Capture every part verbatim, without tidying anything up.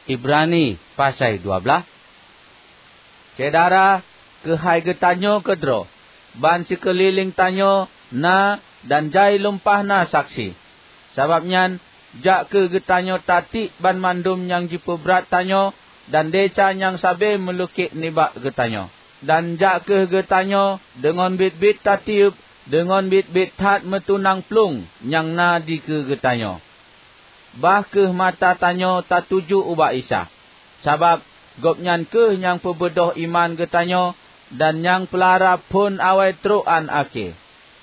Ibrani pasai dua blaih. Syedara, keuhai geutanyoe keudroe, ban sikeulileng tanyoe na dan jai lumpah na saksi. Sabab nyan, jak kheueh geutanyoe tatiek banmandum nyang jipeubrat tanyoe dan desya nyang sabe meulukét nibak geutanyoe. Dan jak kheueh geutanyoe deungon biet-biet tatieup, deungon biet-biet that meutunang plueng nyang na dikeue geutanyoe. Bah kheueh mata tanyoe tatuju ubak Isa, sabab Gobnyan kheueh nyang peubeudôh iman geutanyoe dan nyang peulara phon awai trok án akhé.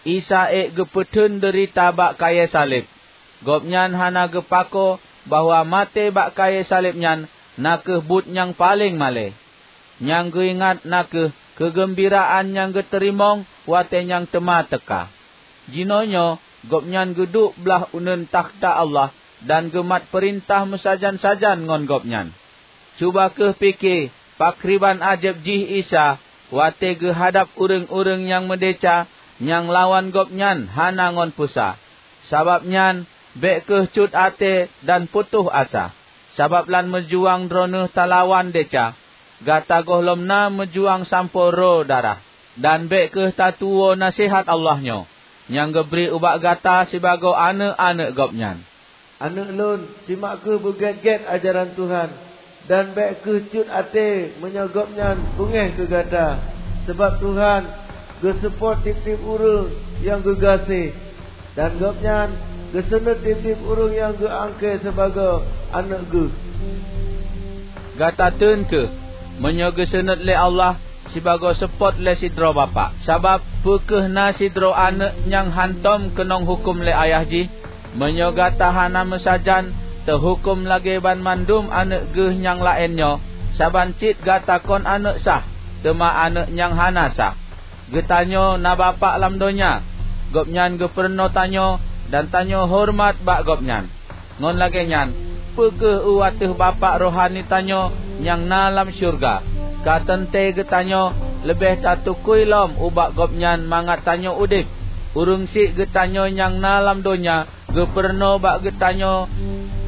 Isa ék geupeutheun deurita bak kayée saleb. Gobnyan hana geupako bahwa maté bak kayée saleb nyan na kheueh buet nyang paleng malée. Nyang geuingat na kheueh keugeumbiraan nyang geuteurimong watée nyang teuma teuka. Jinoenyoe Gobnyan geuduek blaih uneuen takhta Allah dan geumat peurintah meusajan-sajan ngon Gobnyan. Cuba kheueh pike pakriban ajeb jih Isa watée geuhadab ureuëng-ureuëng nyang meudesya nyang lawan Gobnyan hana ngon peusa. Sabab nyan, bék kheueh cut até dan putôh asa, sabab lam meujuang droeneueh talawan desya, gata gohlom na meujuang sampoe roe darah. Dan bék kheueh tatuwoe naseuhat Allah nyoe, nyang geubri ubak gata sibagoe aneuëk-aneuëk Gobnyan. Aneuëk lôn, simak kheueh beugét-gét ajaran Tuhan, dan bék kheueh cut até meunyoe Gobnyan beungéh keu gata, sabab Tuhan geuseupôt tieb-tieb ureuëng nyang geugaséh, dan Gobnyan geuseunuet tieb-tieb ureuëng nyang geuangkée sibagoe aneuëk Geuh. Gata teun kheueh, meunyoe geuseunuet lé Allah sibagoe seupôt lé sidroe bapak. Sabab peu kheueh na sidroe aneuëk nyang hántom keunong huköm lé ayah jih? Meunyoe gata hana meusajan teuhuköm lagée banmandum aneuëk Geuh nyang laén nyoe, saban cit gata kon aneuëk sah, teuma aneuëk nyang hana sah. Geutanyoe na Bapak lam donya. Gobnyan geupeurunoe tanyoe dan tanyoe horeumat bak Gobnyan. Ngon lagée nyan, peu kheueh u ateueh Bapak rohani tanyoe nyang na lam syeuruga, ka teuntée geutanyoe leubeh tatukui lom ubak Gobnyan mangat tanyoe udeb. Ureuëng syiek geutanyoe nyang na lam donya geupeurunoe bak geutanyoe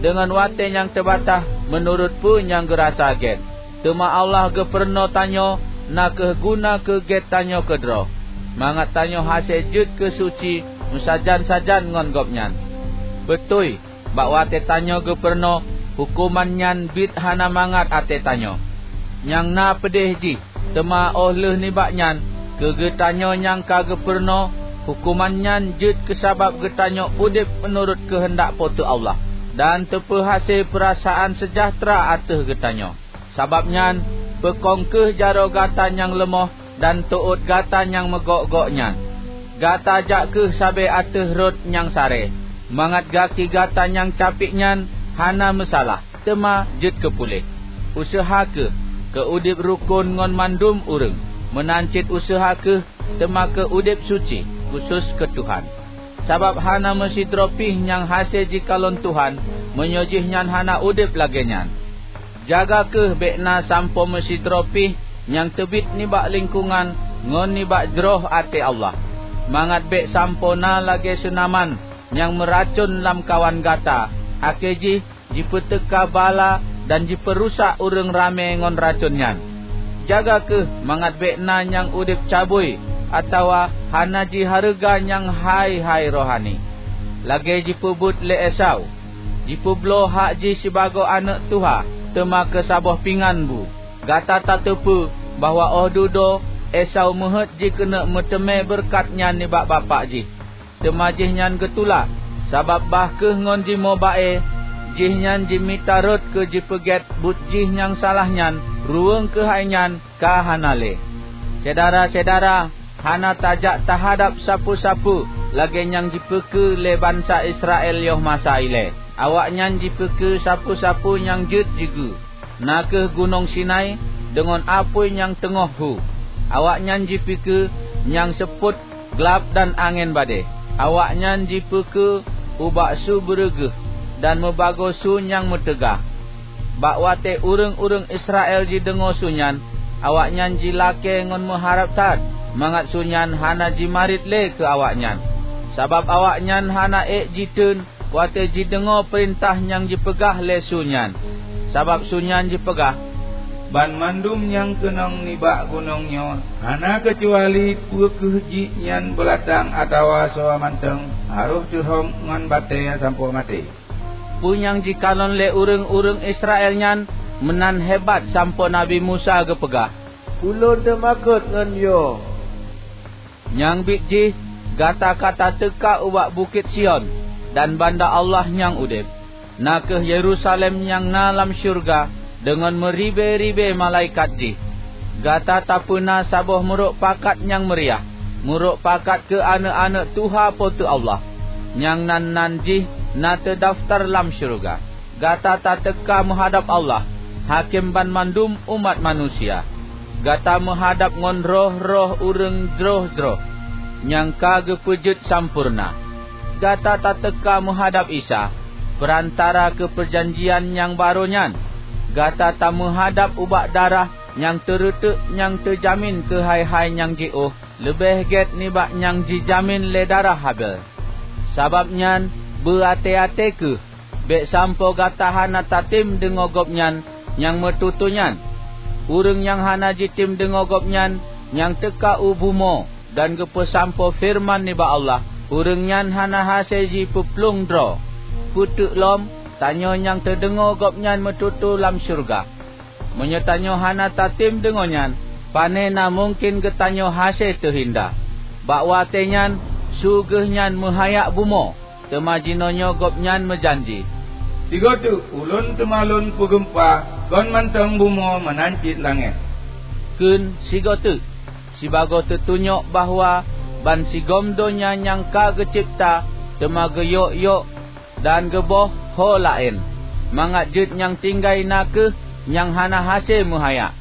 deungon watée nyang teubatah meunurot peue nyang geurasa gét. Teuma Allah geupeurunoe tanyoe na kheueh guna keu gét tanyoe keudroe, mangat tanyoe hase jeuet keu suci meusajan-sajan ngon Gobnyan. Beutôi, bak watée tanyoe geupeurunoe, huköman nyan biet hana mangat até tanyoe. Nyang na peudeh jih, teuma óh lheueh nibak nyan, keu geutanyoe nyang ka geupeurunoe, huköman nyan jeuet keu sabab geutanyoe udeb meunurot keuheundak Po teu Allah, dan teupeuhase peurasaan seujahteura ateueh geutanyoe. Sabab nyan, peukong kheueh jaroe gata nyang leumoh dan teuôt gata nyang meugok-gok nyan. Gata jak kheueh sabe ateueh rot nyang saré, mangat gaki gata nyang capiek nyan hana meusalah, teuma jeuet keu puléh. Useuha kheueh keu udeb rukon ngon mandum ureuëng, meunan cit useuha kheueh teuma keu udeb suci, khusos keu Tuhan. Sabab hana meusidroe pih nyang hase jikalon Tuhan, meunyoe jihnyan hana udeb lagée nyan. Jaga kheueh bék na sampoe meusidroe pih nyang teubiet nibak lingkongan ngon nibak jroh até Allah, mangat bék sampoe na lagée seunaman nyang meuracon lamkawan gata, akhé jih jipeuteuka bala dan jipeurusak ureuëng ramé ngon racon nyan. Jaga kheueh mangat bék na nyang udeb cabui atawa hana jihareuga nyang hai-hai rohani, lagée jipeubuet lé Esau. Jipeubloe hak jih sibagoe aneuëk tuha, teuma keu saboh pingan bu. Gata tateupeue bahwa óh dudoe Esau meuheuét jikeuneuk meuteumé beureukat nyan nibak bapak jih. Teuma jihnyan geutulak, sabab bah kheueh ngon jimoe ba-e, jihnyan jimita rot keu jipeugét buet jih nyang salah nyan, ruweueng keuhai nyan ka hana lé. Syedara-syedara, hana tajak tahadab sapeue-sapeue lagée nyang jipeukeue lé bansa Israel yoh masa ilée. Awaknyan jipeukeue sapeue-sapeue nyang jeuet jigeue, na kheueh Gunong Sinai deungon apui nyang teungoh hu. Awaknyan jipikeue nyang seupôt glab dan angén badée. Awaknyan jipeukeue ubak su beureuguih dan meubagoe su nyang meuteugah. Bak watée ureuëng-ureuëng Israel jideungoe su nyan, awaknyan jilakée ngon meuharab that mangat su nyan hana jimarit lé keu awaknyan, sabab awaknyan hana ék jiteun watée jideungoe peurintah nyang jipeugah lé su nyan. Sabab su nyan jipeugah, "Banmandum nyang keunong nibak gunong nyoe, hana keucuali peu kheueh jih nyan beulatang atawa soe mantong, harôh teuhom ngon batée sampoe maté." Peue nyang jikalon lé ureuëng-ureuëng Israel nyan meunan hebat sampoe Nabi Musa geupeugah, "Ulôn teumakot ngon yo." Nyang biet jih, gata ka tateuka ubak Bukét Sion dan banda Allah nyang udeb, na kheueh Yerusalem nyang na lam syeuruga deungon meuribée-ribée malaikat jih. Gata tapeuna saboh meurok pakat nyang meuriah, meurok pakat keu aneuëk-aneuëk tuha Po teu Allah, nyang nan-nan jih na teudafeutar lam syeuruga. Gata tateuka meuhadab Allah, Hakém banmandum umat manusia. Gata meuhadab ngon roh-roh ureuëng jroh-jroh nyang ka geupeujeuet sampoereuna. Gata tateuka meuhadab Isa, peurantara keu peujanjian nyang barô nyan. Gata tameuhadab ubak darah nyang teureuteuk nyang teujamin keu hai-hai nyang jiôh leubeh gét nibak nyang jijamin lé darah Habel. Sabab nyan, beu até-até kheueh, bék sampoe gata hana tatem deungoe Gobnyan nyang meututoe nyan. Ureuëng nyang hana jitem deungoe Gobnyan nyang teuka u bumoe dan geupeusampoe feureuman nibak Allah, ureuëng nyan hana hase jipeuplueng droe. Peuteuk lom, tanyoe nyang teudeungoe Gobnyan meututoe lam syeuruga. Meunyoe tanyoe hana tatem deungoe nyan, pane na mungken geutanyoe hase teuhinda. Bak watée nyan, su geuh nyan meuhayak bumoe, teuma jinoenyoe Gobnyan meujanji, "Sigoe teuk ulôn teuma lôn peugeumpa kon mantong bumoe meunan cit langét." Kheun sigoe teuk, sibagoe teutunyok bahwa bansigom donya nyang ka geucebta teuma geuyok-yok dan geuboh ho laén, mangat jeuet nyang tinggai na kheueh nyang hana hase meuhayak.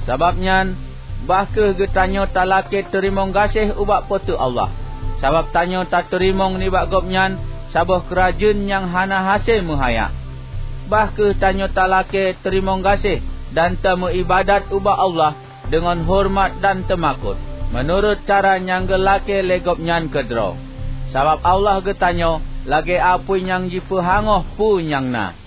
Sabab nyan, bah kheueh geutanyoe talakée teurimong gaséh ubak Po teu Allah, sabab tanyoe tateurimong nibak Gobnyan saboh keurajeuen nyang hana hase meuhayak. Bah kheueh tanyoe talakée teurimong gaséh dan tameuiébadat ubak Allah deungon horeumat dan teumakot, meunurot cara nyang geulakée lé Gobnyan keudroe. Sabab Allah geutanyoe lagée apui nyang jipeuhangoh peue nyang na.